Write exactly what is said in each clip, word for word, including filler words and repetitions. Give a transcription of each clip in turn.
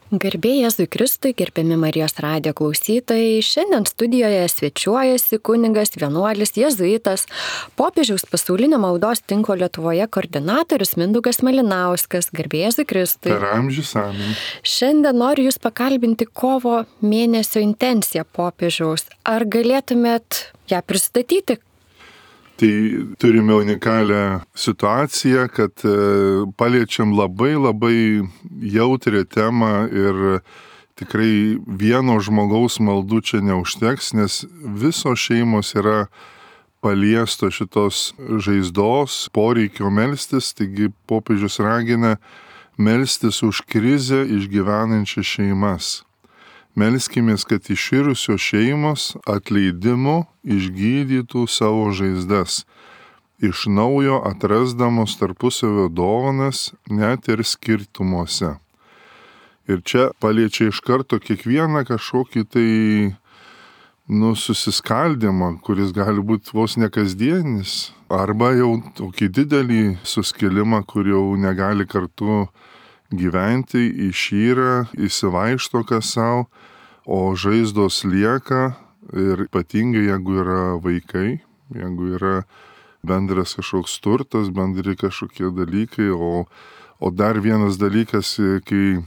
Garbė Jėzui Kristui, gerbiami Marijos radijo klausytojai, šiandien studijoje svečiuojasi kunigas, vienuolis, jėzuitas, popiežiaus pasaulinio maldos tinklo Lietuvoje koordinatorius Mindaugas Malinauskas. Garbė Jėzui Kristui. Per amžius amen. Šiandien noriu Jūs pakalbinti kovo mėnesio intenciją popiežiaus. Ar galėtumėt ją pristatyti? Tai turime unikalią situaciją, kad paliečiam labai labai jautrią temą ir tikrai vieno žmogaus maldų čia neužteks, nes visos šeimos yra paliesto šitos žaizdos, poreikio melstis, taigi popiežius ragina melstis už krizę išgyvenančias šeimas. Melskimės, kad iširusios šeimos atleidimu išgydytų savo žaizdas, iš naujo atrasdamos tarpusavio dovanas net ir skirtumuose. Ir čia paliečia iš karto kiekvieną kažkokį tai nu, susiskaldimą, kuris gali būti vos nekasdienis, arba jau tokį didelį suskilimą, kur jau negali kartu gyventi, išyra, įsivaišto kas savo, o žaizdos lieka ir ypatingai jeigu yra vaikai, jeigu yra bendras kažkoks turtas, bendri kažkokie dalykai, o, o dar vienas dalykas, kai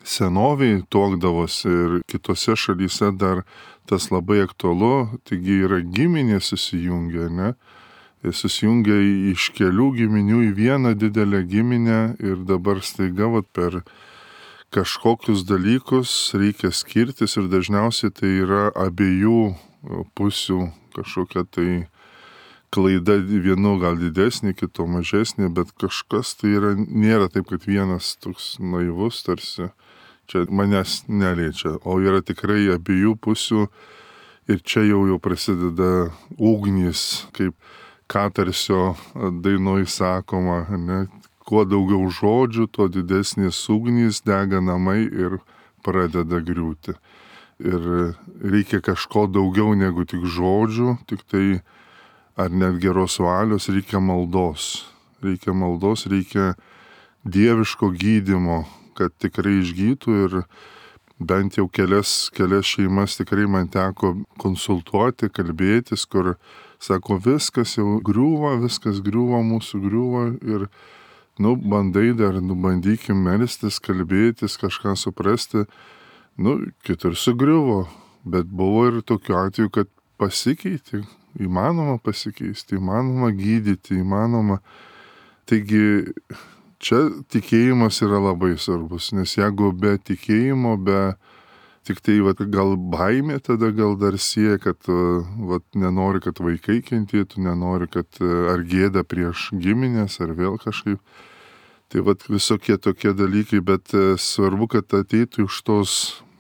senoviai tuokdavosi ir kitose šalyse dar tas labai aktualu, taigi yra giminė susijungia, ne? Susijungia iš kelių giminių į vieną didelę giminę ir dabar staiga vat, per kažkokius dalykus reikia skirtis ir dažniausiai tai yra abiejų pusių kažkokia tai klaida, vienu gal didesnė, kito mažesnė, bet kažkas tai yra, nėra taip, kad vienas toks naivus tarsi čia manęs neliečia, o yra tikrai abiejų pusių ir čia jau jau prasideda ugnys, kaip Katarsio dainoj sakoma, ne? Kuo daugiau žodžių, tuo didesnės ugnys, dega namai ir pradeda griūti. Ir reikia kažko daugiau negu tik žodžių, tik tai ar net geros valios, reikia maldos. Reikia maldos, reikia dieviško gydymo, kad tikrai išgytų ir bent jau kelias, kelias šeimas tikrai man teko konsultuoti, kalbėtis, kur sako, viskas jau griūva, viskas griūva, mūsų griūva ir, nu, bandai dar, nu, bandykim melstis, kalbėtis, kažką suprasti, nu, kitur sugriuvo, bet buvo ir tokiu atveju, kad pasikeitė, įmanoma pasikeisti, įmanoma gydyti, įmanoma. Taigi, čia tikėjimas yra labai svarbus, nes jeigu be tikėjimo, be tik tai vat, gal baimė tada gal dar sieja, kad vat, nenori, kad vaikai kentėtų, nenori, kad ar gėda prieš giminės, ar vėl kažkaip. Tai vat, visokie tokie dalykai, bet svarbu, kad ateitų iš tos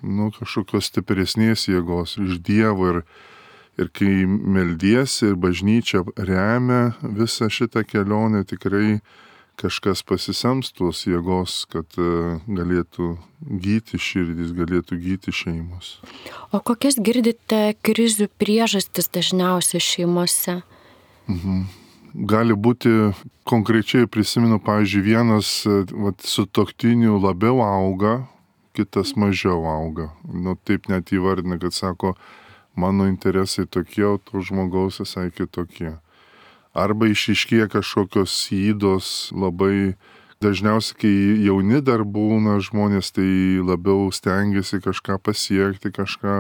nu, kažkokios stipresnės jėgos, iš Dievo ir, ir kai meldiesi ir bažnyčia remia visą šitą kelionę, tikrai kažkas pasisems tos jėgos, kad galėtų gyti širdys, galėtų gyti šeimos. O kokias girdite krizių priežastis dažniausiai šeimose? Mhm. Gali būti, konkrečiai prisimenu, pavyzdžiui, vienas vat, sutuoktinių labiau auga, kitas mažiau auga. Nu, taip net įvardina, kad sako, mano interesai tokie, o to žmogaus visai kitokie. Arba išiškėja kažkokios įdos labai, dažniausiai, kai jauni dar būna žmonės, tai labiau stengiasi kažką pasiekti, kažką,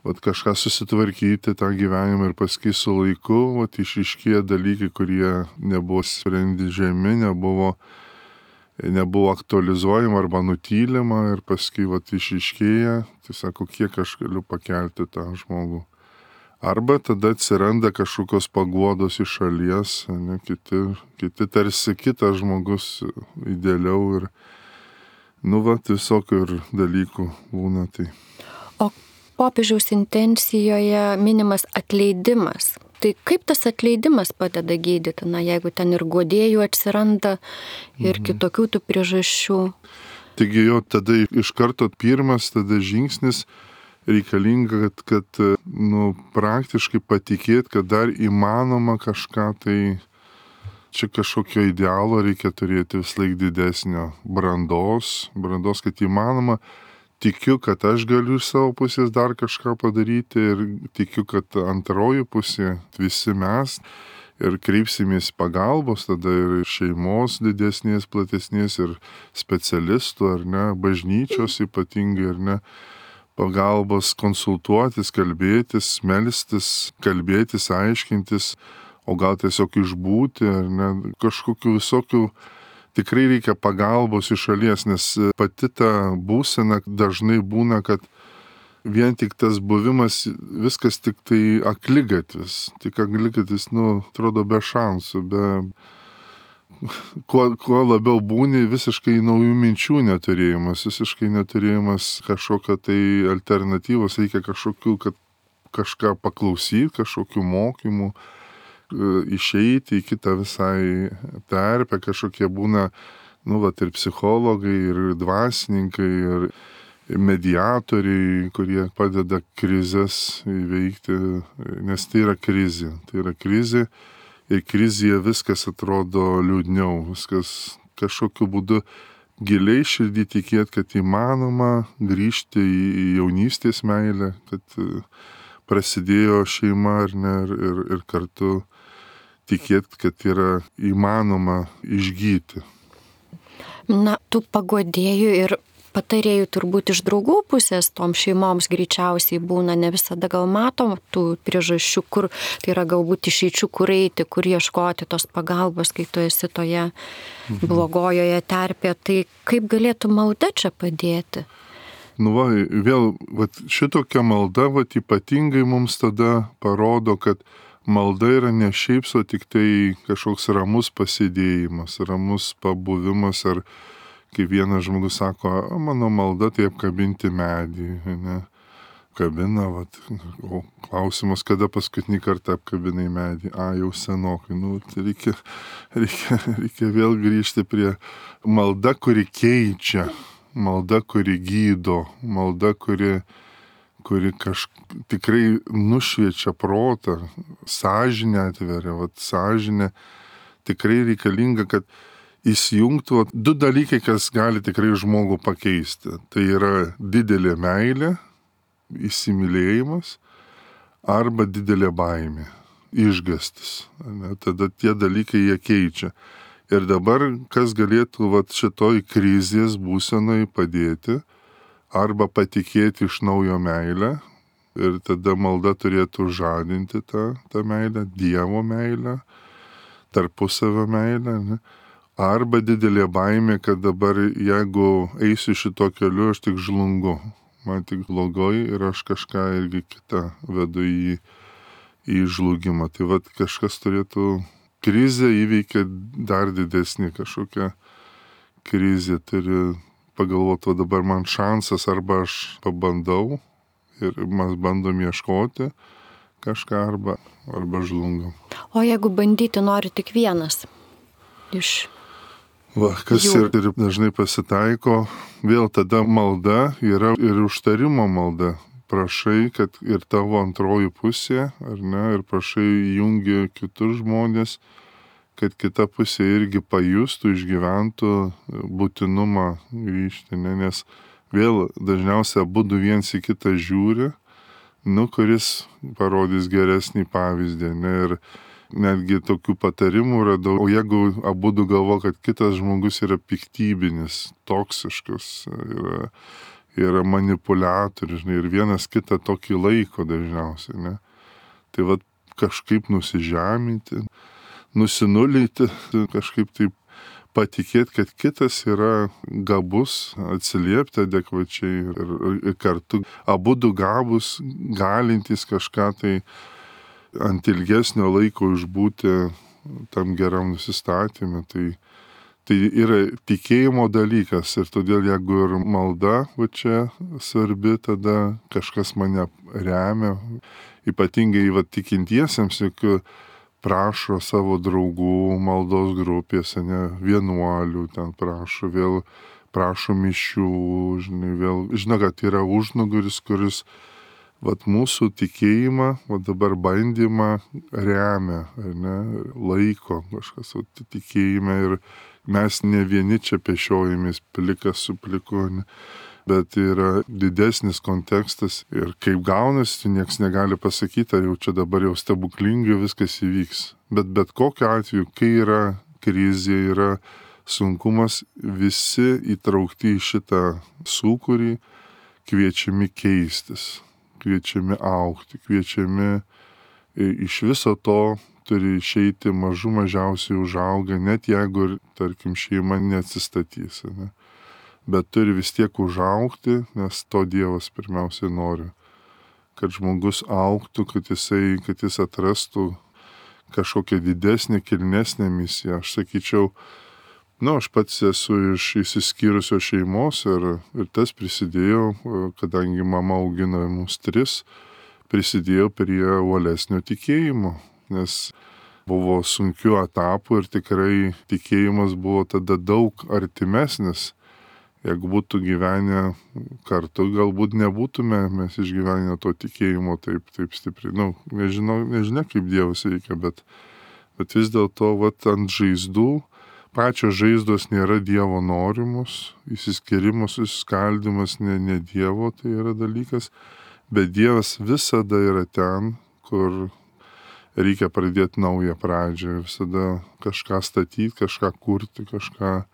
vat, kažką susitvarkyti tą gyvenimą ir paskui su laiku, vat, išiškėja dalykai, kurie nebuvo sprendžiami, nebuvo, nebuvo aktualizuojama arba nutylima ir paskui vat, išiškėja, tai sako, kiek aš galiu pakelti tą žmogų. Arba tada atsiranda kažkokios paguodos iš šalies, ne, kiti, kiti tarsi kitas žmogus idealiau ir, nu, va, visokių ir dalykų būna tai. O popiežiaus intencijoje minimas atleidimas. Tai kaip tas atleidimas padeda gydyti, na, jeigu ten ir guodėjų atsiranda ir mhm. kitokių tų priežasčių? Taigi jo tada iš karto pirmas tada žingsnis reikalinga, kad, kad nu, praktiškai patikėt, kad dar įmanoma kažką tai čia kažkokio idealo reikia turėti vis laik didesnio brandos, brandos, kad įmanoma. Tikiu, kad aš galiu iš savo pusės dar kažką padaryti ir tikiu, kad antroji pusė, visi mes, ir kreipsimės pagalbos, tada ir šeimos didesnės, platesnės, ir specialistų, ar ne, bažnyčios ypatingai, ar ne, pagalbos konsultuotis, kalbėtis, melstis, kalbėtis, aiškintis, o gal tiesiog išbūti, ar ne, kažkokių visokių, tikrai reikia pagalbos iš šalies, nes pati ta būsena dažnai būna, kad vien tik tas buvimas, viskas tik tai akligatvis, tik akligatvis, nu, atrodo be šansų, be... Kuo, kuo labiau būni, visiškai naujų minčių neturėjimas, visiškai neturėjimas kažkokio tai alternatyvos, reikia kažkokių, kad kažką paklausyti, kažkokių mokymų, išeiti į kitą visai terpę, kažkokie būna, nu, vat, ir psichologai, ir dvasininkai, ir mediatoriai, kurie padeda krizės įveikti, nes tai yra krizė, tai yra krizė. Ir krizėje viskas atrodo liūdniau, viskas kažkokiu būdu giliai širdį tikėti, kad įmanoma grįžti į jaunystės meilę, kad prasidėjo šeima ar ne, ir, ir, ir kartu tikėti, kad yra įmanoma išgyti. Na, tų paguodėjų ir patarėjų turbūt iš draugų pusės tom šeimoms greičiausiai būna, ne visada gal matom tų priežasčių, kur tai yra galbūt išeičių, kur eiti, kur ieškoti tos pagalbos, kai tu esi toje blogojoje terpėje. Tai kaip galėtų malda čia padėti? Nu va, vėl, va, šitokia malda, va, ypatingai mums tada parodo, kad malda yra ne šiaip so tik tai kažkoks ramus pasėdėjimas, ramus pabuvimas, ar kai vienas žmogus sako, mano malda tai apkabinti medį, ne, kabina, vat, o klausimas, kada paskutinį kartą apkabinai medį, a, jau senokai, nu, tai reikia, reikia, reikia vėl grįžti prie malda, kuri keičia, malda, kuri gydo, malda, kuri, kuri kažk tikrai nušviečia protą, sąžinę atveria, vat, sąžinė tikrai reikalinga, kad įsijungtų du dalykai, kas gali tikrai žmogų pakeisti. Tai yra didelė meilė, įsimylėjimas, arba didelė baimė, išgastis. Ne? Tada tie dalykai jie keičia. Ir dabar, kas galėtų vat, šitoj krizės būsenai padėti, arba patikėti iš naujo meilę, ir tada malda turėtų žadinti tą, tą meilę, Dievo meilę, tarpusavio meilę, ne? Arba didelė baimė, kad dabar jeigu eisiu šito keliu, aš tik žlungu, man tik blogai ir aš kažką irgi kitą vedu į, į žlugimą. Tai vat kažkas turėtų, krizę įveikia dar didesnį kažkokią krizę, turi pagalvoti, o dabar man šansas, arba aš pabandau ir mes bandom ieškoti kažką, arba, arba žlungam. O jeigu bandyti nori tik vienas iš... Va, kas ir, ir dažnai pasitaiko, vėl tada malda yra ir užtarimo malda. Prašai, kad ir tavo antroji pusė, ar ne, ir prašai jungi kitus žmonės, kad kita pusė irgi pajustų, išgyventų būtinumą grįžti, ne, nes vėl dažniausiai abudu viens į kitą žiūri, nu, kuris parodys geresnį pavyzdį, ne, ir netgi tokių patarimų radau, o jeigu abudu galvo, kad kitas žmogus yra piktybinis, toksiškas, yra, yra manipuliatorius, ir vienas kitą tokį laiko dažniausiai, ne? Tai vat kažkaip nusižeminti, nusinulyti, kažkaip taip patikėti, kad kitas yra gabus, atsiliepti adekvačiai ir, ir kartu abudu gabus, galintys kažką tai ant ilgesnio laiko išbūti tam geram nusistatymui. Tai, tai yra tikėjimo dalykas ir todėl jeigu ir malda va čia svarbi, tada kažkas mane remia, ypatingai va tikintiesiems, juk prašo savo draugų maldos grupėse, ne, vienuolių ten prašo, vėl prašo mišių, žinai, vėl, žinau, kad yra užnugaris, kuris vat mūsų tikėjimą, vat dabar bandymą remia, ar ne, laiko kažkas, vat tikėjime ir mes ne vieni čia pešiojamės plikas su pliku, ne, bet yra didesnis kontekstas ir kaip gaunasi, nieks negali pasakyti, ar jau čia dabar jau stebuklingai viskas įvyks. Bet bet kokiu atveju, kai yra krizė, yra sunkumas, visi įtraukti į šitą sūkurį, kviečiami keistis, kviečiami augti, kviečiami iš viso to turi išeiti mažų mažiausiai užaugę, net jeigu ir, tarkim, šeima neatsistatys, ne? Bet turi vis tiek užaugti, nes to Dievas pirmiausiai nori, kad žmogus augtų, kad jisai, kad jis atrastų kažkokią didesnę, kilnesnę misiją. Aš sakyčiau, nu, aš pats esu iš išsiskyrusios šeimos ir, ir tas prisidėjo, kadangi mama augino mus tris, prisidėjo prie uolesnio tikėjimo, nes buvo sunkių etapų ir tikrai tikėjimas buvo tada daug artimesnis. Jeigu būtų gyvenę kartu, galbūt nebūtume mes išgyvenę to tikėjimo taip, taip stipriai. Nu, nežinau, nežinia, kaip Dievas veikia, bet, bet vis dėlto, vat, ant žaizdų, pačios žaizdos nėra Dievo norimus, įsiskirimas, susiskaldimas ne, ne Dievo, tai yra dalykas, bet Dievas visada yra ten, kur reikia pradėti naują pradžią, visada kažką statyti, kažką kurti, kažką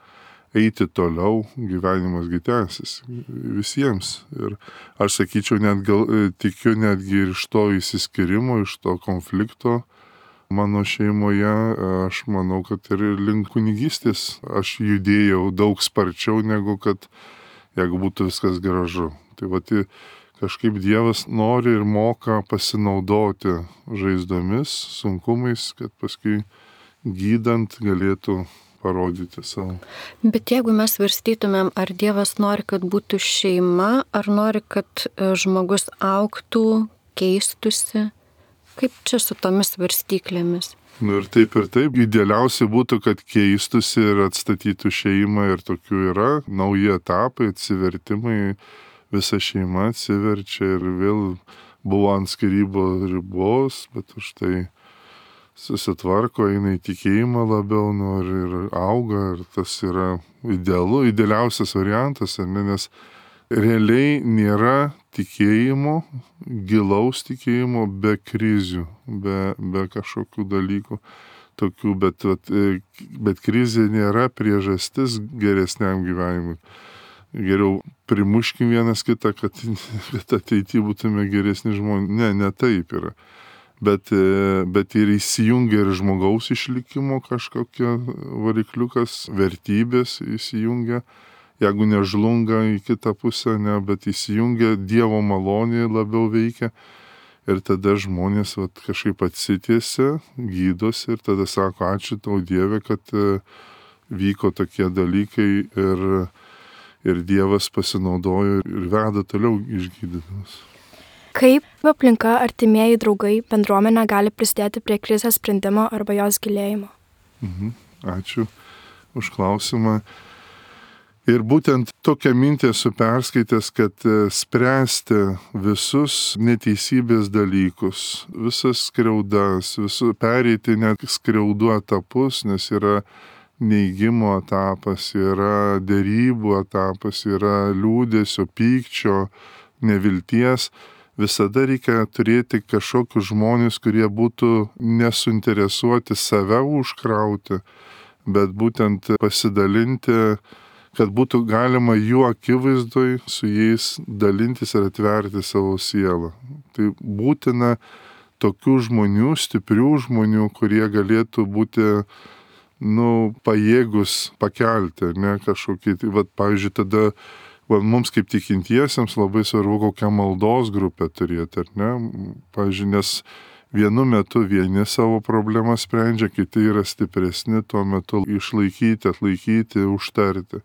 eiti toliau, gyvenimas gi tęsis visiems. Ir aš sakyčiau, net gal, tikiu netgi ir iš to įsiskirimo, iš to konflikto mano šeimoje, aš manau, kad ir link kunigystės aš judėjau daug sparčiau, negu kad jeigu būtų viskas gražu. Tai vat kažkaip Dievas nori ir moka pasinaudoti žaizdomis, sunkumais, kad paskui gydant galėtų parodyti savo. Bet jeigu mes svarstytumėm, ar Dievas nori, kad būtų šeima, ar nori, kad žmogus augtų, keistusi, kaip čia su tomis svarstyklėmis? Nu ir taip ir taip, idealiausia būtų, kad keistusi ir atstatytų šeimą ir tokių yra, nauji etapai, atsivertimai, visa šeima atsiverčia ir vėl buvo ant skyrybų ribos, bet už tai susitvarko, eina į tikėjimą labiau, nu, ir, ir auga, ir tas yra idealu, idealiausias variantas, ne, nes realiai nėra tikėjimo, gilaus tikėjimo be krizių, be, be kažkokių dalykų tokių, bet, bet, bet krizė nėra priežastis geresniam gyvenimui. Geriau primuškim vienas kitą, kad, kad ateityje būtume geresni žmonės. Ne, ne taip yra. Bet, bet ir įsijungia ir žmogaus išlikimo kažkokie varikliukas, vertybės įsijungia, jeigu nežlunga į kitą pusę, ne, bet įsijungia Dievo malonė labiau veikia ir tada žmonės vat, kažkaip atsitiesia, gydosi ir tada sako, ačiū tau Dieve, kad vyko tokie dalykai ir, ir Dievas pasinaudojo ir veda toliau išgydydamas. Kaip aplinka, artimieji, draugai, bendruomenė gali prisidėti prie krizės sprendimo arba jos gilėjimo? Mhm. Ačiū už klausimą. Ir būtent tokią mintį esu perskaitęs, kad spręsti visus neteisybės dalykus, visas skriaudas, visu, pereiti net skriaudų etapus, nes yra neigimo etapas, yra derybų etapas, yra liūdesio, pykčio, nevilties. Visada reikia turėti kažkokius žmonės, kurie būtų nesuinteresuoti save užkrauti, bet būtent pasidalinti, kad būtų galima jų akivaizdoj su jais dalintis ir atverti savo sielą. Tai būtina tokių žmonių, stiprių žmonių, kurie galėtų būti, nu, pajėgus pakelti, ne kažkokį, tai, vat, pavyzdžiui, tada mums kaip tikintiesiems labai svarbu kokią maldos grupę turėti, ar ne? Pavyzdžiui, nes vienu metu vieni savo problemą sprendžia, kiti yra stipresni tuo metu išlaikyti, atlaikyti, užtarti.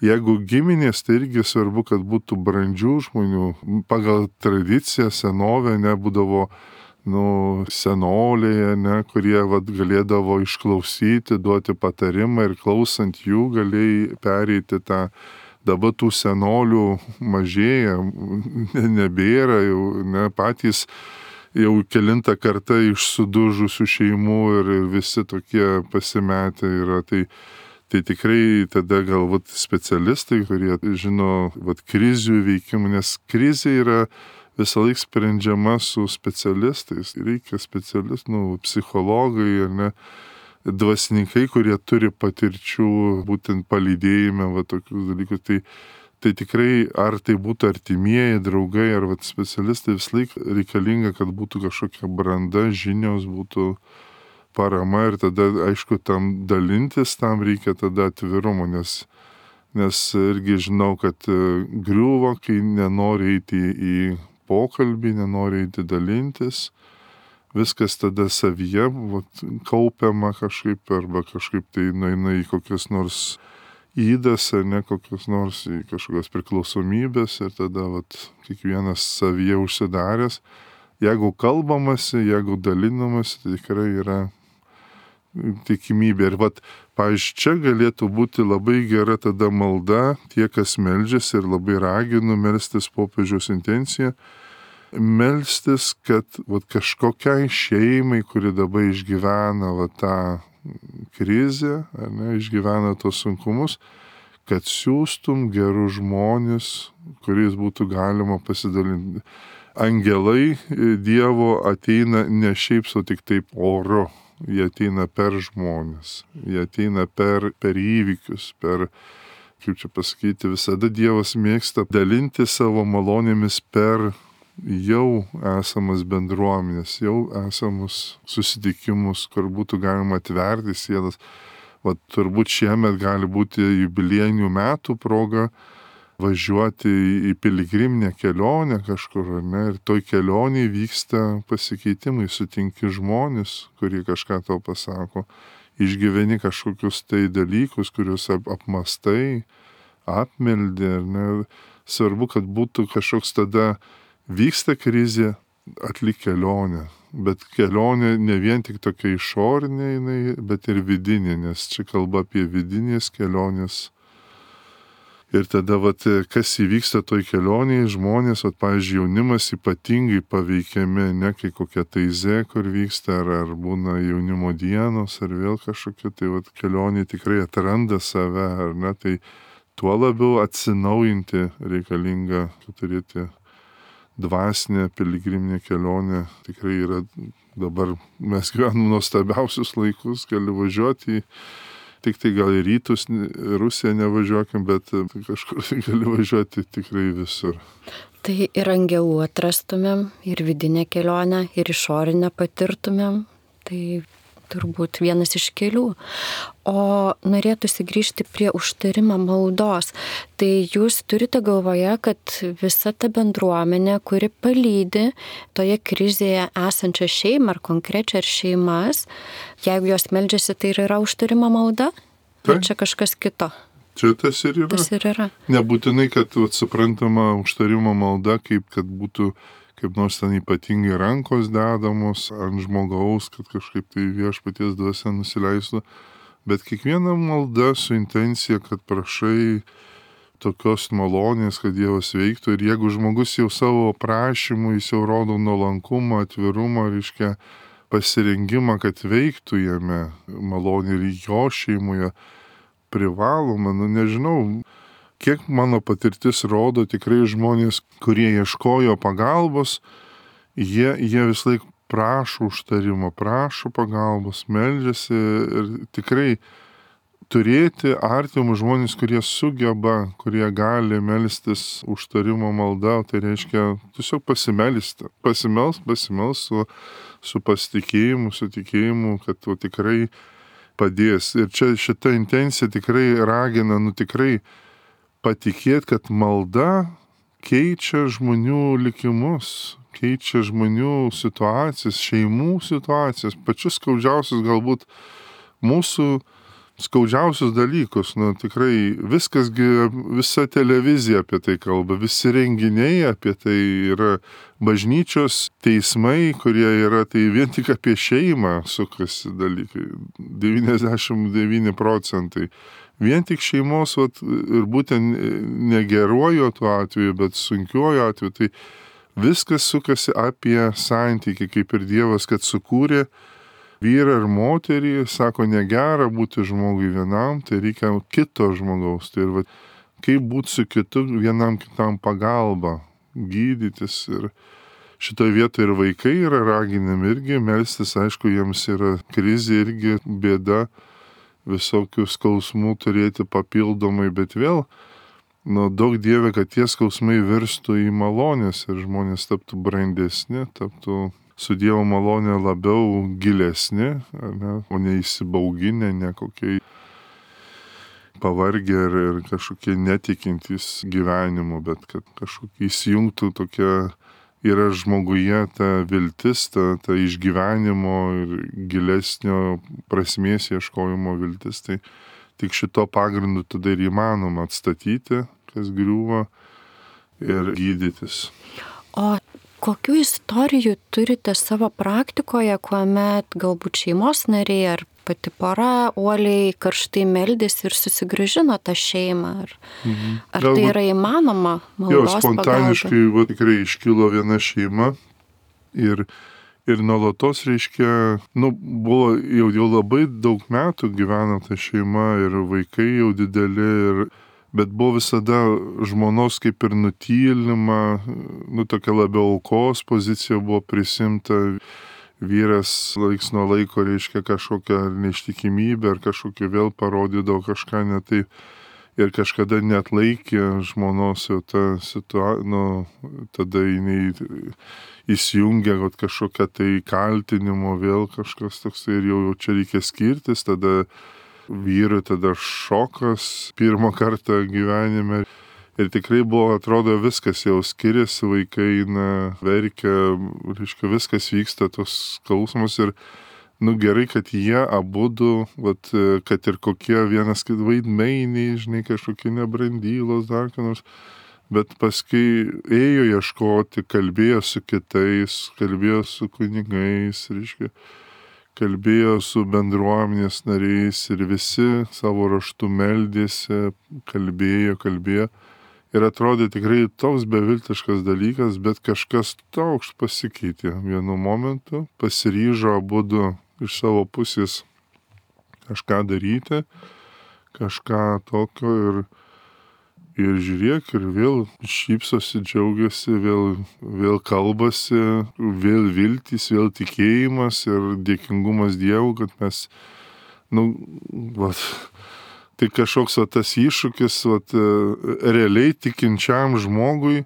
Jeigu giminės, tai irgi svarbu, kad būtų brandžių žmonių. Pagal tradiciją, senovę nebūdavo, nu, senoliai, ne, kurie vat, galėdavo išklausyti, duoti patarimą ir klausant jų galėjai pereiti tą dabar tų senolių mažėja, nebėra, jau ne patys jau kelintą kartą iš sudužusių šeimų ir visi tokie pasimetę yra. Tai, tai tikrai tada galbūt specialistai, kurie žino vat, krizių veikimą, nes krizė yra visą laiką sprendžiama su specialistais. Reikia specialistų, nu, psichologai ar ne, dvasininkai, kurie turi patirčių būtent palydėjime, va tokius dalykus. Tai Tai tikrai, ar tai būtų artimieji, draugai, ar vat, specialistai, vis laik reikalinga, kad būtų kažkokia branda, žinios, būtų parama ir tada, aišku, tam dalintis, tam reikia tada atvirumo, nes, nes irgi žinau, kad griuvo, kai nenori eiti į pokalbį, nenori eiti dalintis, viskas tada savyje vat, kaupiama kažkaip, arba kažkaip tai nueina į kokias nors įdas, ar ne kokios nors į kažkokios priklausomybės ir tada vat, kiekvienas savyje užsidaręs. Jeigu kalbamasi, jeigu dalinamasi, tai tikrai yra tikimybė. Ir vat, pavyzdžiui, čia galėtų būti labai gera tada malda, tie, kas meldžiasi ir labai raginu melstis popiežiaus intenciją, melstis, kad vat, kažkokiai šeimai, kuri dabar išgyvena vat, tą krizę, ar ne, išgyvena tos sunkumus, kad siūstum gerus žmonės, kuriais būtų galima pasidalinti. Angelai Dievo ateina ne šiaip sau tik taip oru, jie ateina per žmonės, jie ateina per, per įvykius, per, kaip čia pasakyti, visada Dievas mėgsta dalinti savo malonėmis per jau esamas bendruomenės, jau esamus susitikimus, kur būtų galima atverti sielas. Vat turbūt šiemet gali būti jubiliejinių metų proga važiuoti į piligriminę kelionę kažkur, ne? Ir toj kelionėje vyksta pasikeitimai, sutinki žmonės, kurie kažką tau pasako, išgyveni kažkokius tai dalykus, kuriuos ap- apmastai, apmeldė, ne? Svarbu, kad būtų kažkoks tada vyksta krizė, atlik kelionę, bet kelionė ne vien tik tokia išorinė, jinai, bet ir vidinė, nes čia kalba apie vidinės kelionės. Ir tada, vat, kas įvyksta toj kelionėje, žmonės, vat, pavyzdžiui, jaunimas ypatingai paveikiami, ne kai kokia taizė, kur vyksta, ar, ar būna jaunimo dienos, ar vėl kažkokia, tai vat, kelionė tikrai atranda save, ar ne, tai tuo labiau atsinaujinti reikalinga turėti dvasinė piligriminė kelionė. Tikrai yra dabar, mes gyvename nuostabiausius laikus, gali važiuoti, tik tai gal į rytus, Rusiją nevažiuokim, bet kažkur gali važiuoti tikrai visur. Tai ir angelų atrastumėm, ir vidinę kelionę, ir išorinę patirtumėm. Tai turbūt vienas iš kelių. O norėtųsi grįžti prie užtarimo maldos. Tai jūs turite galvoje, kad visa ta bendruomenė, kuri palydi toje krizėje esančią šeimą ar konkrečią ar šeimas, jeigu jos meldžiasi, tai ir yra užtarimo malda? Tai čia kažkas kito. Čia tas ir yra. Tas ir yra. Nebūtinai, kad vat, suprantama užtarimo malda, kaip kad būtų kaip nors ten ypatingai rankos dedamos ant žmogaus, kad kažkaip tai viešpaties dvasia nusileistų. Bet kiekviena malda su intencija, kad prašai tokios malonės, kad Dievas veiktų. Ir jeigu žmogus jau savo prašymų, jis jau rodo nuolankumą, atvirumą, reiškia pasirengimą, kad veiktų jame malonė ir jo šeimoje privaloma, nu nežinau. Kiek mano patirtis rodo, tikrai žmonės, kurie ieškojo pagalbos, jie, jie vis laik prašo užtarimo, prašo pagalbos, meldžiasi ir tikrai turėti artimus žmonės, kurie sugeba, kurie gali melstis užtarimo malda, tai reiškia tiesiog pasimelsti, pasimels, pasimels su, su pasitikėjimu, su tikėjimu, kad tu tikrai padės. Ir čia šita intencija tikrai ragina, nu tikrai patikėti, kad malda keičia žmonių likimus, keičia žmonių situacijas, šeimų situacijas, pačius skaudžiausius galbūt mūsų skaudžiausius dalykus. Nu, tikrai viskas, visa televizija apie tai kalba, visi renginiai apie tai yra, bažnyčios teismai, kurie yra, tai vien tik apie šeimą sukasi dalykai, devyniasdešimt devyni procentai. vien tik šeimos, vat, ir būtent negeruoju tuo atveju, bet sunkiuoju atveju, tai viskas sukasi apie santykį, kaip ir Dievas, kad sukūrė vyrą ir moterį, sako, negera būti žmogui vienam, tai reikia kito žmogaus. Tai ir va, kaip būti su kitu, vienam kitam pagalba, gydytis. Ir šitoje vietoje ir vaikai yra raginami irgi melstis, aišku, jiems yra krizė irgi bėda, visokių skausmų turėti papildomai, bet vėl, nu, daug Dieve, kad tie skausmai virstų į malonės ir žmonės taptų brandesni, taptų su Dievo malonė labiau gilesni, ne, o ne įsibauginę, ne kokie pavargę ir, ir kažkokie netikintys gyvenimu, bet kad kažkokie įsijungtų tokia, yra žmoguje ta viltis, ta, ta išgyvenimo ir gilesnio prasmės ieškojimo viltis. Tai tik šito pagrindu tada ir įmanoma atstatyti, kas griūva, ir gydytis. O kokių istorijų turite savo praktikoje, kuomet galbūt šeimos nariai ar pati pora uoliai karštai meldėsi ir susigrąžino tą šeimą? Ar, mhm. ar tai yra įmanoma maldos pagalba? Jo, spontaniškai va, tikrai iškilo viena šeima ir, ir nuolatos, reiškia, nu, buvo jau, jau labai daug metų gyveno ta šeima ir vaikai jau dideli, ir bet buvo visada žmonos kaip ir nutylima, nu tokia labiau aukos pozicija buvo prisimta, vyras laiks nuo laiko reiškia kažkokią neištikimybę ar kažkokią vėl parodydavo kažką ne taip ir kažkada net laikė žmonos jau tą situaciją, nu tada jinai įsijungia kažkokią tai kaltinimo vėl kažkas toks ir jau, jau čia reikia skirtis, tada vyrui tada šokas pirmą kartą gyvenime. Ir tikrai buvo, atrodo, viskas jau skiriasi, vaikai na, verkia, reiškia, viskas vyksta, tos skausmus. Ir nu gerai, kad jie abudu, vat, kad ir kokie vienas kit vaidmeiniai, žinai, kažkokie nebrandylos, dar ką nors. Bet paskui ėjo ieškoti, kalbėjo su kitais, kalbėjo su kunigais, reiškia, kalbėjo su bendruomenės nariais ir visi savo raštu meldėsi, kalbėjo, kalbėjo. Ir atrodė tikrai toks beviltiškas dalykas, bet kažkas toks pasikeitė vienu momentu, pasiryžo abudu iš savo pusės kažką daryti, kažką tokio ir Ir žiūrėk, ir vėl šypsosi, džiaugiasi, vėl, vėl kalbasi, vėl viltys, vėl tikėjimas ir dėkingumas Dievui, kad mes, nu, vat, tai kažkoks va, tas iššūkis, vat, realiai tikinčiam žmogui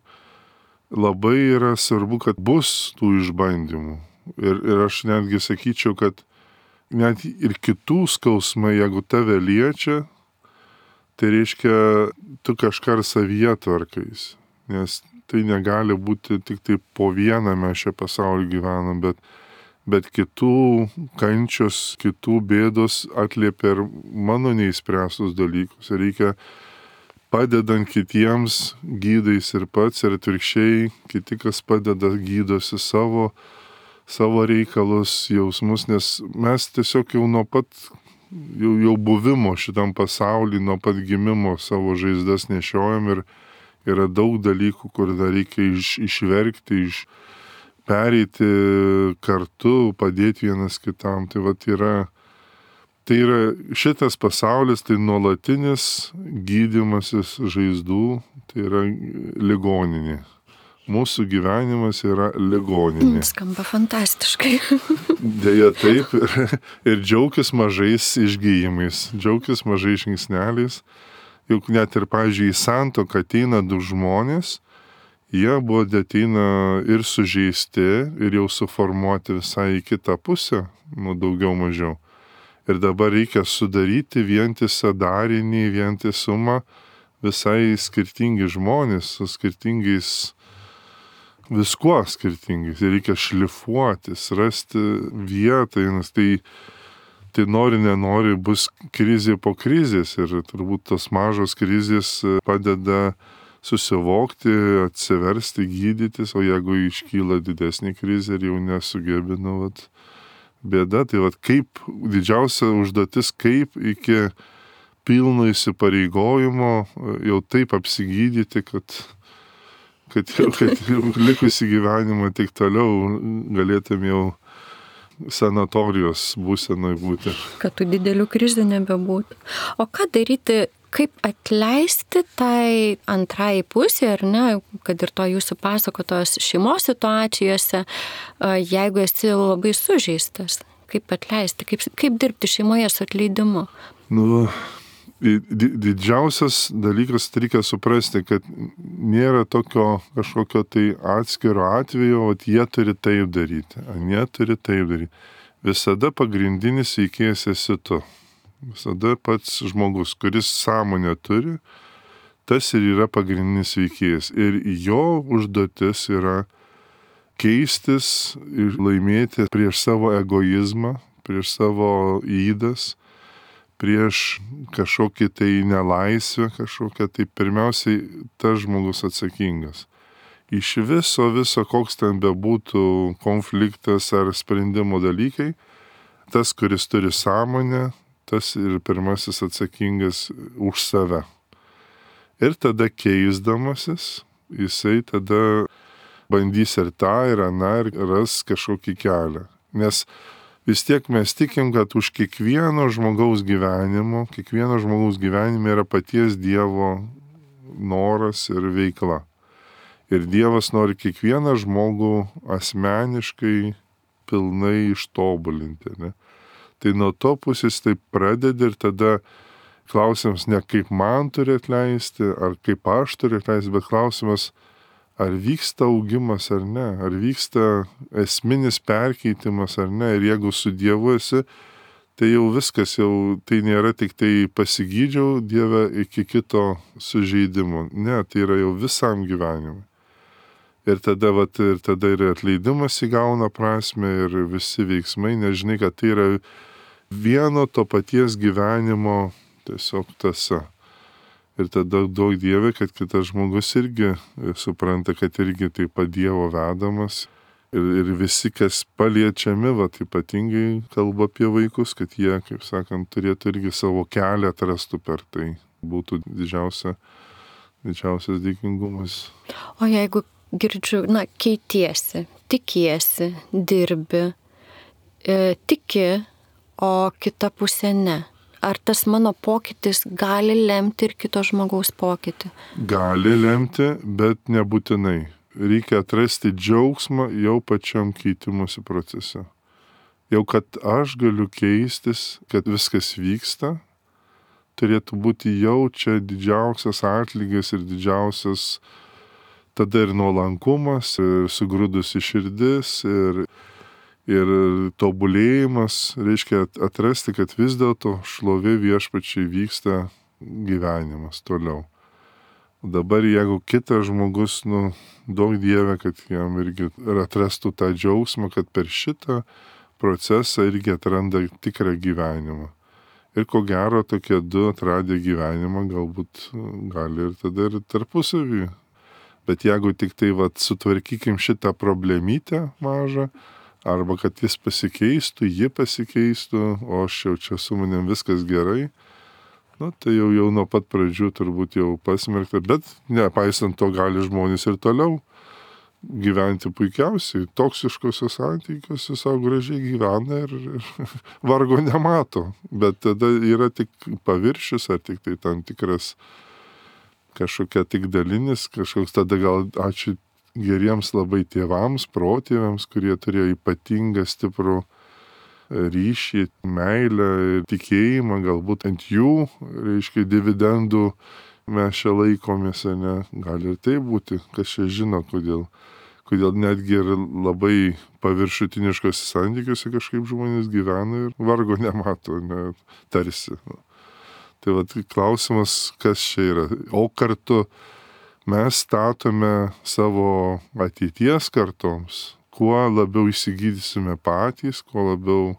labai yra svarbu, kad bus tų išbandymų. Ir, ir aš netgi sakyčiau, kad net ir kitų skausmai, jeigu tave liečia, tai reiškia, tu kažką ir savyje tvarkais, nes tai negali būti tik tai po vieną mes čia pasaulį gyvenam, bet, bet kitų kančios, kitų bėdos atliepia ir mano neįspręstus dalykus. Ir reikia padedant kitiems gydais ir pats, ir atvirkščiai, kiti, kas padeda, gydosi savo, savo reikalus, jausmus, nes mes tiesiog jau nuo pat Jau, jau buvimo šitam pasauly, nuo pat gimimo savo žaizdas nešiojam ir yra daug dalykų, kur dar reikia iš, išverkti, iš, pereiti kartu, padėti vienas kitam. Tai vat yra, tai yra šitas pasaulis, tai nuolatinis gydymasis žaizdų, tai yra ligoninė. Mūsų gyvenimas yra ligoninė. Skamba fantastiškai. Deja taip, ir, ir džiaukis mažais išgyjimais, džiaukis mažais žingsneliais. Juk net ir, pavyzdžiui, į santuoką ateina du žmonės, jie buvo ateina ir sužeisti, ir jau suformuoti visai į kitą pusę, nu daugiau mažiau. Ir dabar reikia sudaryti vientisą darinį, vientisumą, visai skirtingi žmonės su skirtingais viskuo skirtingais. Ir reikia šlifuotis, rasti vietą, nes tai, tai nori, nenori, bus krizė po krizės. Ir turbūt tos mažos krizės padeda susivokti, atsiversti, gydytis, o jeigu iškyla didesnė krizė ir jau nesugebi, nu, vat, bėda. Tai vat kaip didžiausia užduotis, kaip iki pilno įsipareigojimo jau taip apsigydyti, kad, kad, jau, kad likusį gyvenimą tik toliau galėtum jau sanatorijos būsenoj būti. Kad tų didelių krizių nebebūtų. O ką daryti, kaip atleisti tai antrai pusė, ar ne, kad ir to jūsų pasakotos šeimos situacijose, jeigu esi labai sužeistas, kaip atleisti, kaip, kaip dirbti šeimoje su atleidimu? Nu, didžiausias dalykas, reikia suprasti, kad nėra tokio kažkokio tai atskiro atvejo, o jie turi taip daryti, jie turi taip daryti. Visada pagrindinis veikėjas esi tu. Visada pats žmogus, kuris sąmonę turi, tas ir yra pagrindinis veikėjas. Ir jo užduotis yra keistis ir laimėti prieš savo egoizmą, prieš savo įdas, prieš kažkokį tai nelaisvę, kažkokią tai pirmiausiai tas žmogus atsakingas. Iš viso, viso, koks ten bebūtų konfliktas ar sprendimo dalykai, tas, kuris turi sąmonę, tas ir pirmasis atsakingas už save. Ir tada keisdamasis, jisai tada bandys ir tą, ir aną, ir ras kažkokį kelią. Nes vis tiek mes tikim, kad už kiekvieno žmogaus gyvenimo, kiekvieno žmogaus gyvenime yra paties Dievo noras ir veikla. Ir Dievas nori kiekvieną žmogų asmeniškai pilnai ištobulinti, ne? Tai nuo to pusės taip pradedi ir tada klausimas ne kaip man turi atleisti, ar kaip aš turiu atleisti, bet klausimas, ar vyksta augimas ar ne, ar vyksta esminis perkeitimas ar ne. Ir jeigu su Dievu esi, tai jau viskas, jau tai nėra tik tai pasigydžiau Dieve iki kito sužeidimo. Ne, tai yra jau visam gyvenimui. Ir tada, vat, ir tada ir atleidimas įgauna prasme ir visi veiksmai, nežinai, kad tai yra vieno to paties gyvenimo tiesiog tąsa. Ir tada daug Dieve, kad kitas žmogus irgi supranta, kad irgi taip pat Dievo vedamas. Ir, ir visi, kas paliečiami, vat, ypatingai kalba apie vaikus, kad jie, kaip sakant, turėtų irgi savo kelią atrastų per tai. Būtų didžiausia, didžiausias dėkingumas. O jeigu girdžiu, na, keitiesi, tikiesi, dirbi, e, tiki, o kita pusė ne. Ar tas mano pokytis gali lemti ir kito žmogaus pokytį? Gali lemti, bet nebūtinai. Reikia atrasti džiaugsmą jau pačiam keitimusi procese. Jau kad aš galiu keistis, kad viskas vyksta, turėtų būti jau čia didžiausias atlygis ir didžiausias tada ir nuolankumas, ir sugrūdusi širdis, ir, ir tobulėjimas, reiškia atrasti, kad vis dėlto šlovė viešpačiai vyksta gyvenimas toliau. Dabar jeigu kitas žmogus, nu, daug Dieve, kad jam irgi atrastų tą džiaugsmą, kad per šitą procesą irgi atranda tikrą gyvenimą. Ir ko gero tokie du atradę gyvenimą galbūt gali ir tada ir tarpusavį. Bet jeigu tik tai vat, sutvarkykim šitą problemytę mažą, arba kad jis pasikeistų, ji pasikeistų, o aš jau čia su manim viskas gerai, nu, tai jau, jau nuo pat pradžių turbūt jau pasmerkta, bet nepaisant to gali žmonės ir toliau gyventi puikiausiai, toksiškose santykiuose savo gražiai gyvena ir, ir vargo nemato, bet tada yra tik paviršius ar tik tai tam tikras kažkokia tik dalinis, kažkoks tada gal ačiū geriems labai tėvams, protėviams, kurie turėjo ypatingą stiprų ryšį, meilę ir tikėjimą, galbūt ant jų, reiškia, dividendų mes čia laikomės, ne, gali ir tai būti, kas čia žino, kodėl, kodėl netgi ir labai paviršutiniškose santykiuose kažkaip žmonės gyvena ir vargo nemato, ne, tarsi. Tai vat klausimas, kas čia yra. O kartu mes statome savo ateities kartoms, kuo labiau įsigydysime patys, kuo labiau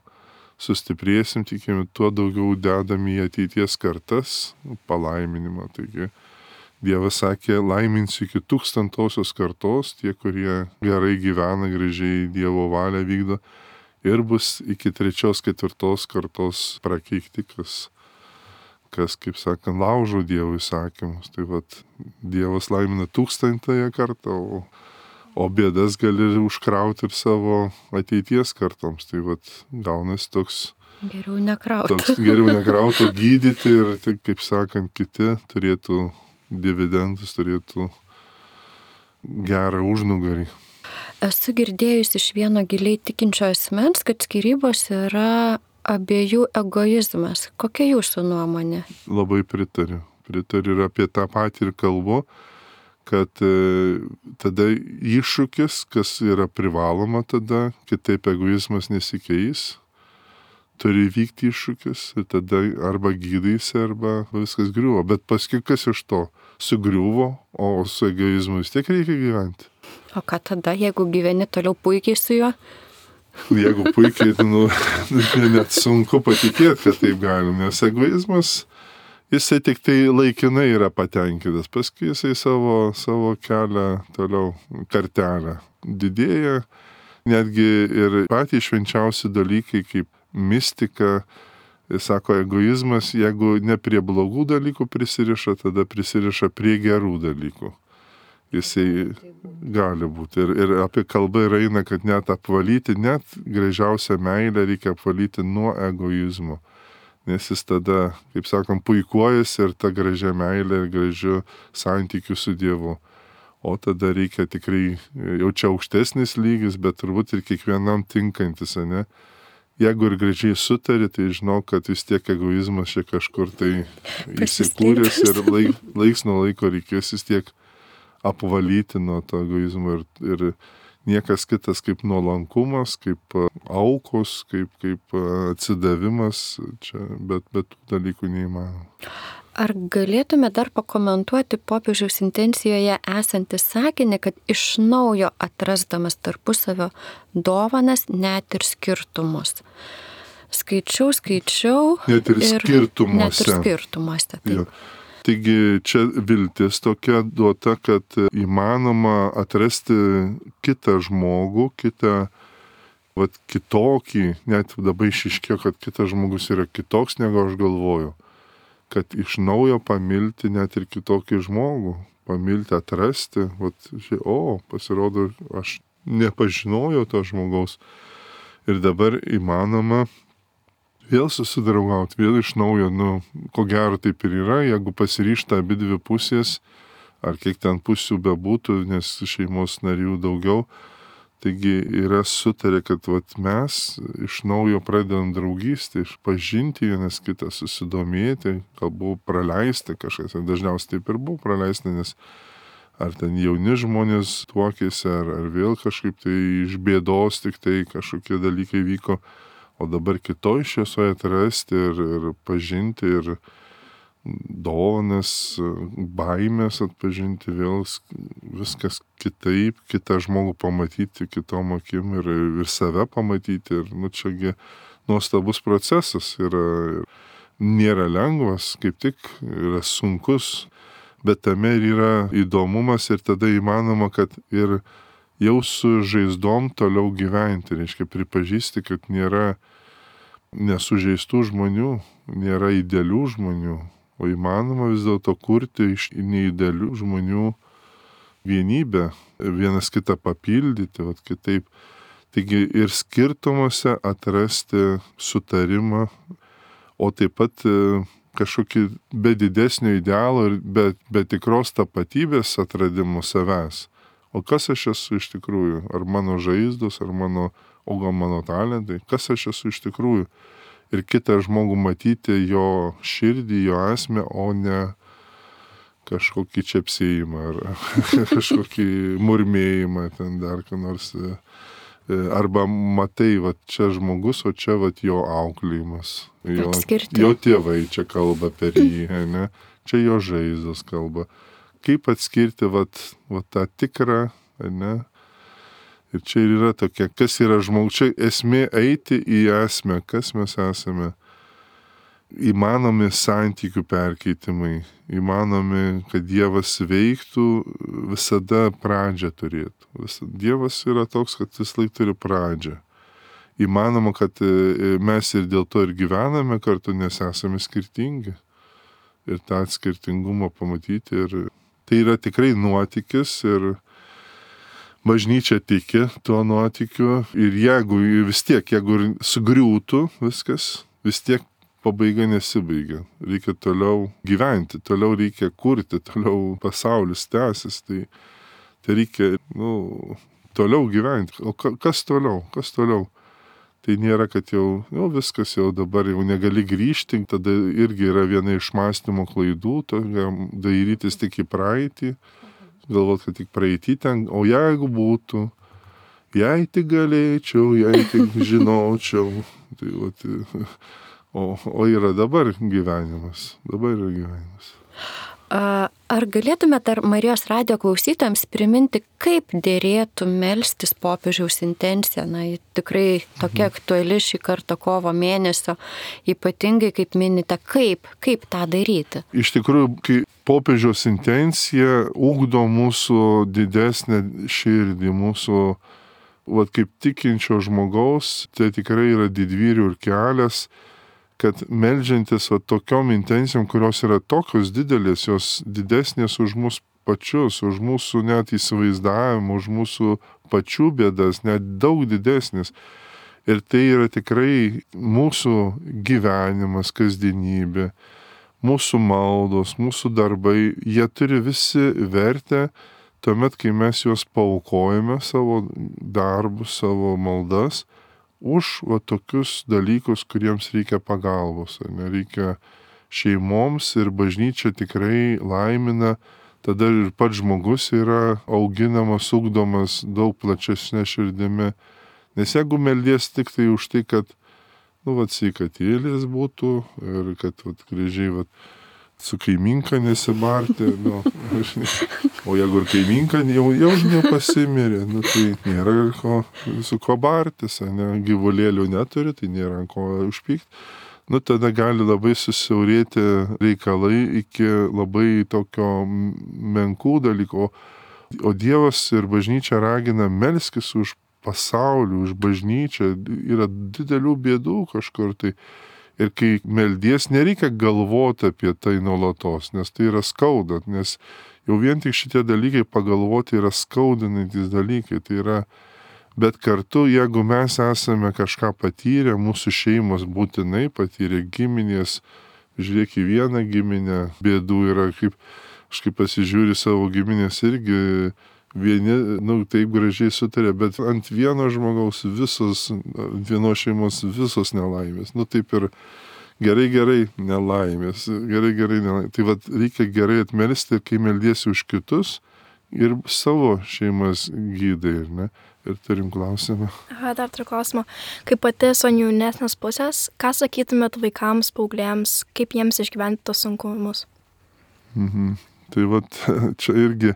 sustiprėsim, tikime, tuo daugiau dedam į ateities kartas palaiminimą. Taigi Dievas sakė, laiminsiu iki tūkstantosios kartos, tie, kurie gerai gyvena, gražiai Dievo valią vykdo, ir bus iki trečios, ketvirtos kartos prakeikti, kas kas, kaip sakant, laužo Dievo įsakymus. Tai vat Dievas laimina tūkstantąją kartą, o, o bėdas gali užkrauti ir savo ateities kartoms. Tai vat gaunasi toks... Geriau nekrauti. Toks geriau nekrauti, gydyti ir, tai, kaip sakant, kiti turėtų dividendus, turėtų gerą užnugarį. Esu girdėjus iš vieno giliai tikinčio asmens, kad skyrybos yra abiejų egoizmas. Kokia jūsų nuomonė? Labai pritariu. Pritariu ir apie tą patį ir kalbu, kad e, tada iššūkis, kas yra privaloma tada, kitaip egoizmas nesikeis, turi vykti iššūkis ir tada arba gydaisi, arba viskas griuvo. Bet paskui kas iš to? Sugriuvo, o su egoizmu vis tiek reikia gyventi. O ką tada, jeigu gyveni toliau puikiai su juo? Jeigu puikiai, nu, net sunku patikėti, kad taip galim, nes egoizmas, jisai tik tai laikinai yra patenkintas, paskui jisai savo, savo kelią toliau kartelę didėja, netgi ir patys švenčiausi dalykai kaip mistika, jis sako, egoizmas, jeigu ne prie blogų dalykų prisiriša, tada prisiriša prie gerų dalykų. Jisai gali būti. Ir, ir apie kalbą ir eina, kad net apvalyti, net gražiausią meilę reikia apvalyti nuo egoizmo. Nes jis tada, kaip sakom, puikuojasi ir ta gražia meilė ir gražiu santykiu su Dievu. O tada reikia tikrai, jau čia aukštesnis lygis, bet turbūt ir kiekvienam tinkantis, ne? Jeigu ir gražiai sutari, tai žinau, kad vis tiek egoizmas čia kažkur tai įsikūręs ir laik, laiks nuo laiko reikės vis tiek apvalyti nuo to egoizmo ir, ir niekas kitas kaip nuolankumas, kaip aukos, kaip, kaip atsidavimas, čia, bet, bet tų dalykų neįmanoma. Ar galėtume dar pakomentuoti popiežiaus intencijoje esantį sakinį, kad iš naujo atrasdamas tarpusavio dovanas net ir skirtumus? Skaičiau, skaičiau. Net ir, ir skirtumuose. Net ir skirtumuose. Ja. Taigi čia viltis tokia duota, kad įmanoma atrasti kitą žmogų, kitą, vat, kitokį, net dabar išiškėjo, kad kitas žmogus yra kitoks, negu aš galvoju. Kad iš naujo pamilti net ir kitokį žmogų, pamilti, atrasti, vat, o, pasirodo, aš nepažinojau to žmogaus. Ir dabar įmanoma vėl susidraugauti, vėl iš naujo, nu, ko gero taip ir yra, jeigu pasiryžta abi dvi pusės, ar kiek ten pusių bebūtų, nes šeimos narių daugiau, taigi yra sutarė, kad vat, mes iš naujo pradedam draugystę, išpažinti vienas kitą, susidomėti, galbūt praleisti kažkas, dažniausiai taip ir buvo praleisti, nes ar ten jauni žmonės tuokėsi, ar, ar vėl kažkaip tai iš bėdos tik tai kažkokie dalykai vyko, o dabar kitoj šviesoje atrasti ir, ir pažinti, ir dovanas, baimės atpažinti, vėl viskas kitaip, kitą žmogų pamatyti kitom akim ir, ir save pamatyti. Ir, nu, čiagi nuostabus procesas yra, nėra lengvas, kaip tik yra sunkus, bet tame ir yra įdomumas ir tada įmanoma, kad ir jau su žaizdom toliau gyventi, reiškia pripažįsti, kad nėra nesužeistų žmonių, nėra idealių žmonių, o įmanoma vis dėlto kurti iš neidealių žmonių vienybę, vienas kitą papildyti, vat kitaip. Taigi ir skirtumuose atrasti sutarimą, o taip pat kažkokį be didesnio idealo ir be, be tikros tapatybės atradimo savęs. O kas aš esu iš tikrųjų? Ar mano žaizdos, ar mano, o gal mano talentai? Kas aš esu iš tikrųjų? Ir kitą žmogų matyti jo širdį, jo esmę, o ne kažkokį čepsėjimą ar kažkokį murmėjimą ten dar ką nors. Arba matai, va čia žmogus, o čia va jo auklėjimas. Jo, jo tėvai čia kalba per jį, ne? Čia jo žaizdos kalba. Kaip atskirti vat, vat tą tikrą, ne? Ir čia ir yra tokia, kas yra žmogus, čia esmė eiti į esmę, kas mes esame. Įmanomi santykių perkeitimai, įmanomi, kad Dievas veiktų, visada pradžią turėtų. Visada. Dievas yra toks, kad vis laik turi pradžią. Įmanoma, kad mes ir dėl to ir gyvename kartu, nes esame skirtingi. ir tą skirtingumą pamatyti. Ir tai yra tikrai nuotykis ir bažnyčia tiki tuo nuotykiu. Ir jeigu vis tiek, jeigu sugriūtų viskas, vis tiek pabaiga nesibaigia. Reikia toliau gyventi, toliau reikia kurti, toliau pasaulis tęsis. Tai, tai reikia, nu, toliau gyventi. O kas toliau? Kas toliau? Tai nėra, kad jau, jau viskas jau dabar jau negali grįžti, tada irgi yra viena iš mąstymo klaidų, dairytis tik į praeitį, galvot, kad tik praeitį ten, o jeigu būtų, jei tik galėčiau, jei tik žinočiau, tai vat, o, o yra dabar gyvenimas, dabar yra gyvenimas. Ar galėtumėte ar Marijos radijo klausytojams priminti, kaip dėrėtų melstis popiežiaus intenciją? Na, tikrai tokia aktuali šį kartą kovo mėnesio, ypatingai kaip minite, kaip, kaip tą daryti? Iš tikrųjų, kai popiežiaus intencija ugdo mūsų didesnę širdį, mūsų, vat, kaip tikinčio žmogaus, tai tikrai yra didvyrių ir kelias, kad meldžiantis va, tokiom intencijom, kurios yra tokios didelės, jos didesnės už mus pačius, už mūsų net įsivaizdavimą, už mūsų pačių bėdas, net daug didesnės. Ir tai yra tikrai mūsų gyvenimas, kasdienybė, mūsų maldos, mūsų darbai, jie turi visi vertę tuomet, kai mes juos paaukojame savo darbus, savo maldas, už va, tokius dalykus, kuriems reikia pagalbos. Nereikia šeimoms ir bažnyčia tikrai laimina, tada ir pats žmogus yra auginamas, ugdomas daug plačesnė širdimi. Nes jeigu meldies tik tai už tai, kad, nu, vat, sveikatėlės būtų ir kad, vat, gražiai, vat, su kaiminka nesibarti, nu, o jeigu ir kaiminka jau, jau nepasimirė, nu, tai nėra ko, su ko bartis, ne, gyvulėlių neturi, tai nėra ko užpykti. Nu, tada gali labai susiaurėti reikalai iki labai tokio menkų dalykų, o, o Dievas ir bažnyčia ragina melskis už pasaulį, už bažnyčią, yra didelių bėdų kažkur tai. Ir kai meldies, nereikia galvoti apie tai nuolatos, nes tai yra skaudant, nes jau vien tik šitie dalykai pagalvoti yra skaudinantys dalykai. Tai yra, bet kartu, jeigu mes esame kažką patyrę, mūsų šeimos būtinai patyrė, giminės, žiūrėk į vieną giminę, bėdų yra, kaip aš kaip pasižiūri savo giminės irgi, vieni, nu, taip gražiai sutarė, bet ant vieno žmogaus visos, ant vienos šeimos visos nelaimės. Nu, taip ir gerai, gerai nelaimės, gerai, gerai nelaimės. Tai vat reikia gerai atmelsti, kai meldiesi už kitus ir savo šeimas gydai, ne? Ir turim klausimą. Aha, dar turiu klausimą. Kaip pati esu jaunesnės pusės, ką sakytumėt vaikams, paaugliams, kaip jiems išgyventi tos sunkumus? Mhm. Tai vat, čia irgi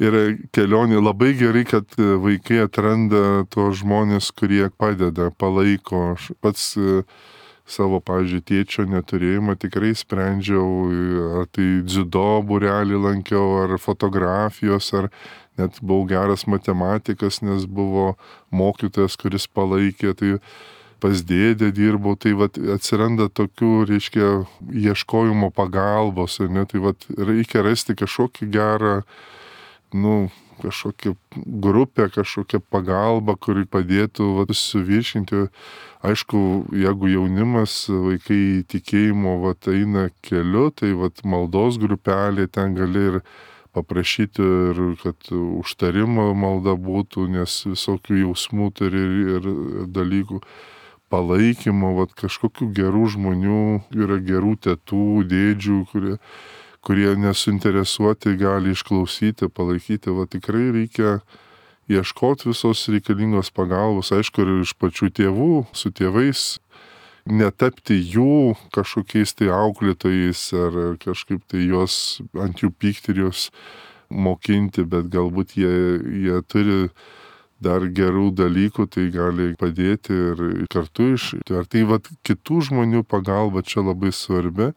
yra kelionė. Labai gerai, kad vaikai atranda tuos žmonės, kurie padeda, palaiko. Aš pats savo, pavyzdžiui, tėčio neturėjimą tikrai sprendžiau, ar tai dziudo būrelį lankiau, ar fotografijos, ar net buvau geras matematikas, nes buvo mokytojas, kuris palaikė. Tai pas dėdę dirbau, tai vat, atsiranda tokių, reiškia, ieškojimo pagalbos, ne? Tai vat, reikia rasti kažkokį gerą, nu, kažkokią grupę, kažkokią pagalbą, kuri padėtų vat, suviršinti. Aišku, jeigu jaunimas, vaikai tikėjimo vat, eina keliu, tai vat, maldos grupelė, ten gali ir paprašyti, ir kad užtarimo malda būtų, nes visokių jausmų turi ir dalykų. Palaikymo, vat, kažkokių gerų žmonių, yra gerų tetų, dėdžių, kurie, kurie nesuinteresuoti gali išklausyti, palaikyti. Vat, tikrai reikia ieškoti visos reikalingos pagalbos, aišku, ir iš pačių tėvų, su tėvais, netapti jų kažkokiais tai auklėtojais ar kažkaip tai juos ant jų pykti ir juos mokinti, bet galbūt jie, jie turi dar gerų dalykų, tai gali padėti ir kartu iš. Ar tai vat, kitų žmonių pagalba čia labai svarbi,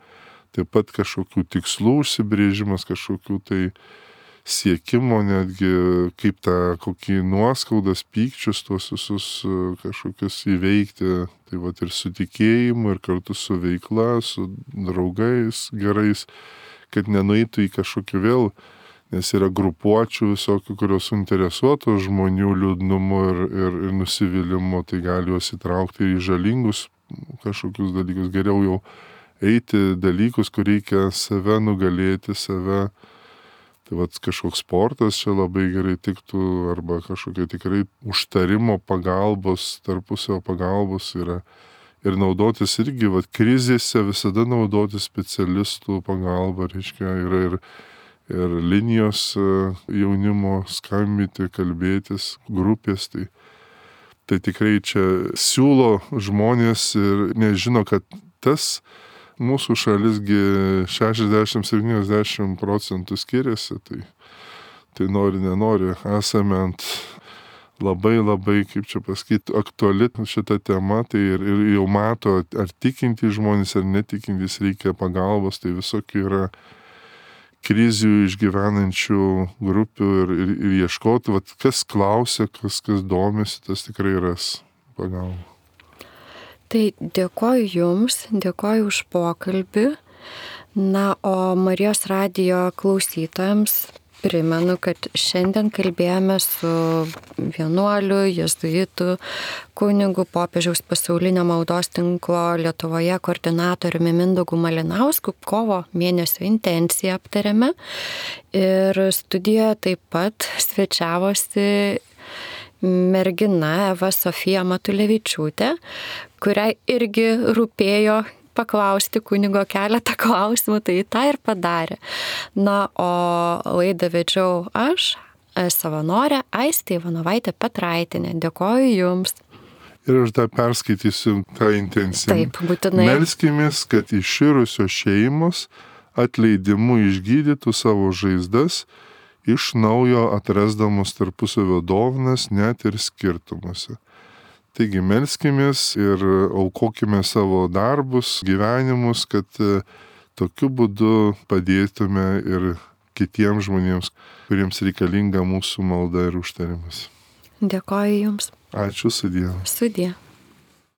taip pat kažkokių tikslų užsibrėžimas, kažkokių tai siekimo netgi, kaip tą kokį nuoskaudas, pykčius, tuos visus kažkokius įveikti. Tai vat ir su tikėjimu, ir kartu su veikla, su draugais gerais, kad nenueitų į kažkokį vėl, nes yra grupuočių visokių, kurios suinteresuotos žmonių liūdnumu ir, ir, ir nusivylimu, tai gali juos įtraukti į žalingus kažkokius dalykus. Geriau jau eiti dalykus, kur reikia save nugalėti, save. Tai vat kažkoks sportas čia labai gerai tiktų, arba kažkokia tikrai užtarimo pagalbos, tarpusio pagalbos yra. Ir naudotis irgi, vat krizėse visada naudotis specialistų pagalba, reiškia, yra ir, ir linijos jaunimo skambinti, kalbėtis, grupės. Tai, tai tikrai čia siūlo žmonės ir nežino, kad tas mūsų šalisgi šešiasdešimt septyniasdešimt procentų skiriasi, tai, tai nori, nenori, esame ant labai labai, kaip čia pasakyti, aktuali šita tema, tai ir, ir jau mato, ar tikintys žmonės, ar netikintys reikia pagalbos, tai visokių yra krizių išgyvenančių grupių ir, ir, ir ieškoti, vat, kas klausia, kas, kas domisi, tas tikrai ras pagalbą. Tai dėkoju Jums, dėkoju už pokalbį. Na, o Marijos radijo klausytojams primenu, kad šiandien kalbėjome su vienuoliu, jėzuitu, kunigu, popiežiaus pasaulinio maldos tinklo Lietuvoje koordinatoriumi Mindaugu Malinausku. Kovo mėnesio intenciją aptarėme. Ir studijoje taip pat svečiavosi mergina Eva Sofija Matulevičiūtė, kuriai irgi rūpėjo paklausti kunigo keletą klausimų, tai tą ir padarė. Na, o laidą vedžiau aš, savanorė Aistė Ivanovaitė Petraitinė. Dėkoju Jums. Ir aš dar perskaitysiu tą intenciją. Taip, būtinai. Melskimės, kad iširusios šeimos atleidimu išgydytų savo žaizdas, iš naujo atrasdamos tarpusavio dovanas net ir skirtumuose. Taigi melskimės ir aukokime savo darbus, gyvenimus, kad tokiu būdu padėtume ir kitiems žmonėms, kuriems reikalinga mūsų malda ir užtarimas. Dėkoju Jums. Ačiū, sudie. Sudie.